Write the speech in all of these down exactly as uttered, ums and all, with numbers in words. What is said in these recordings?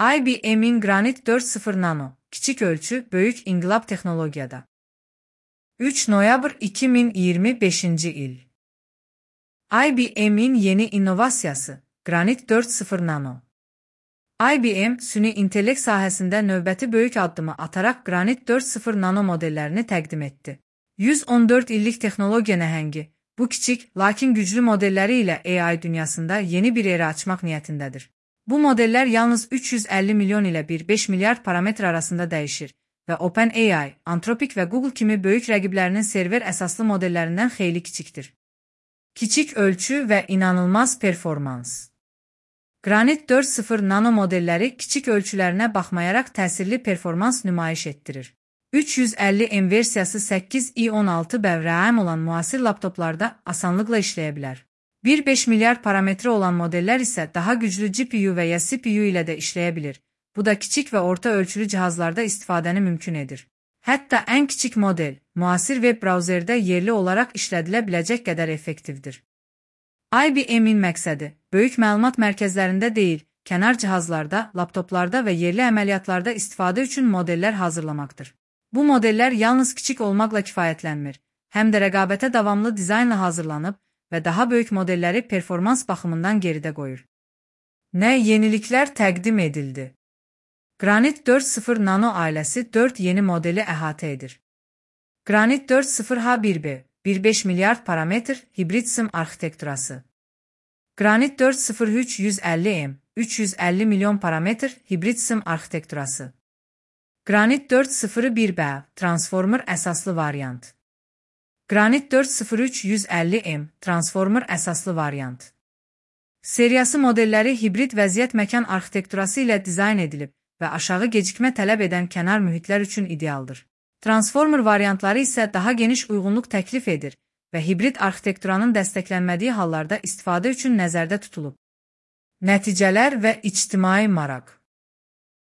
I B M'in Granit dört nöqtə sıfır Nano, kiçik ölçü, böyük inqilab texnologiyada. üç noyabr iki min iyirmi beşinci il. I B M'in yeni innovasiyası, Granit dört nöqtə sıfır Nano. I B M, süni intellekt sahəsində növbəti böyük addımı ataraq Granit dört nöqtə sıfır Nano modellərini təqdim etdi. yüz on dörd illik texnologiya nəhəngi, bu kiçik, lakin güclü modelləri ilə A I dünyasında yeni bir era açmaq niyyətindədir. Bu modellər yalnız üç yüz əlli milyon ilə bir nöqtə beş milyard parametr arasında dəyişir və OpenAI, Anthropic və Google kimi böyük rəqiblərinin server əsaslı modellərindən xeyli kiçikdir. Kiçik ölçü və inanılmaz performans. Granit dört nöqtə sıfır Nano modelləri kiçik ölçülərinə baxmayaraq təsirli performans nümayiş etdirir. üç yüz əlli M versiyası səkkiz i on altı bəvrəm olan müasir laptoplarda asanlıqla işləyə bilər. bir nöqtə beş milyard parametri olan modellər isə daha güclü G P U və ya C P U ilə də işləyə bilir. Bu da kiçik və orta ölçülü cihazlarda istifadəni mümkün edir. Hətta ən kiçik model, müasir web brauzerdə yerli olaraq işlədilə biləcək qədər effektivdir. I B M'in məqsədi, böyük məlumat mərkəzlərində deyil, kənar cihazlarda, laptoplarda və yerli əməliyyatlarda istifadə üçün modellər hazırlamaqdır. Bu modellər yalnız kiçik olmaqla kifayətlənmir, həm də rəqabətə davamlı dizaynla hazırlanıb və daha böyük modelləri performans baxımından geridə qoyur. Nə yeniliklər təqdim edildi? Granit dört nöqtə sıfır Nano ailəsi dörd yeni modeli əhatə edir. Granit dört nöqtə sıfır H bir B, bir nöqtə beş milyard parametr, hibrid sim arxitekturası. Granit dört nöqtə sıfır üç yüz əlli M, üç yüz əlli milyon parametr, hibrid sim arxitekturası. Granit dört nöqtə sıfır bir B, transformer əsaslı variant. Granit dört nöqtə sıfır üç yüz əlli M, transformer əsaslı variant. Seriyası modelləri hibrid vəziyyət məkan arxitekturası ilə dizayn edilib və aşağı gecikmə tələb edən kənar mühitlər üçün idealdır. Transformer variantları isə daha geniş uyğunluq təklif edir və hibrid arxitekturanın dəstəklənmədiyi hallarda istifadə üçün nəzərdə tutulub. Nəticələr və ictimai maraq.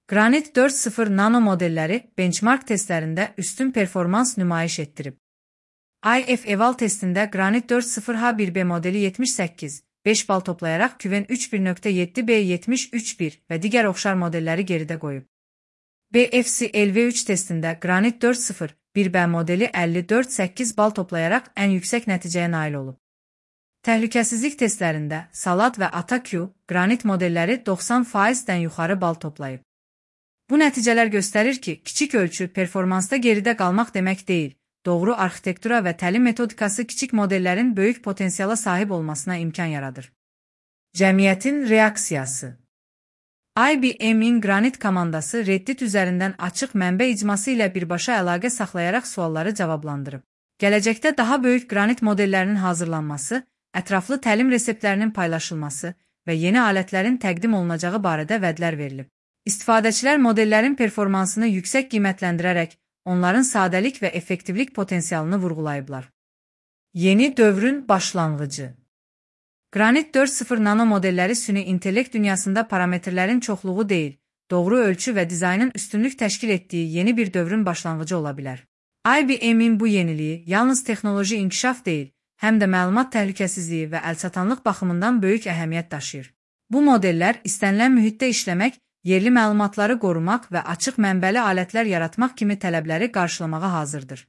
Granit dört nöqtə sıfır Nano modelləri benchmark testlərində üstün performans nümayiş etdirib. I F Eval testində Granit dört nöqtə sıfır H bir B modeli yetmiş səkkiz, beş bal toplayaraq Qwen üç bir nöqtə yeddi B yetmiş üç bir və digər oxşar modelləri geridə qoyub. B F C L V üç testində Granit dört nöqtə sıfır bir B modeli əlli dörd səkkiz bal toplayaraq ən yüksək nəticəyə nail olub. Təhlükəsizlik testlərində Salat və AtaQ, Granit modelləri doxsan faizdən yuxarı bal toplayıb. Bu nəticələr göstərir ki, kiçik ölçü performansda geridə qalmaq demək deyil, doğru arxitektura və təlim metodikası kiçik modellərin böyük potensiala sahib olmasına imkan yaradır. Cəmiyyətin reaksiyası. I B M'in Granit komandası Reddit üzərindən açıq mənbə icması ilə birbaşa əlaqə saxlayaraq sualları cavablandırıb. Gələcəkdə daha böyük Granit modellərinin hazırlanması, ətraflı təlim reseptlərinin paylaşılması və yeni alətlərin təqdim olunacağı barədə vədlər verilib. İstifadəçilər modellərin performansını yüksək qiymətləndirərək, onların sadəlik və effektivlik potensialını vurğulayıblar. Yeni dövrün başlanğıcı. Granit dört nöqtə sıfır Nano modelləri süni intellekt dünyasında parametrlərin çoxluğu deyil, doğru ölçü və dizaynın üstünlük təşkil etdiyi yeni bir dövrün başlanğıcı ola bilər. I B M'in bu yeniliyi yalnız texnoloji inkişaf deyil, həm də məlumat təhlükəsizliyi və əlçatanlıq baxımından böyük əhəmiyyət daşıyır. Bu modellər istənilən mühitdə işləmək, yerli məlumatları qorumaq və açıq mənbəli alətlər yaratmaq kimi tələbləri qarşılamağa hazırdır.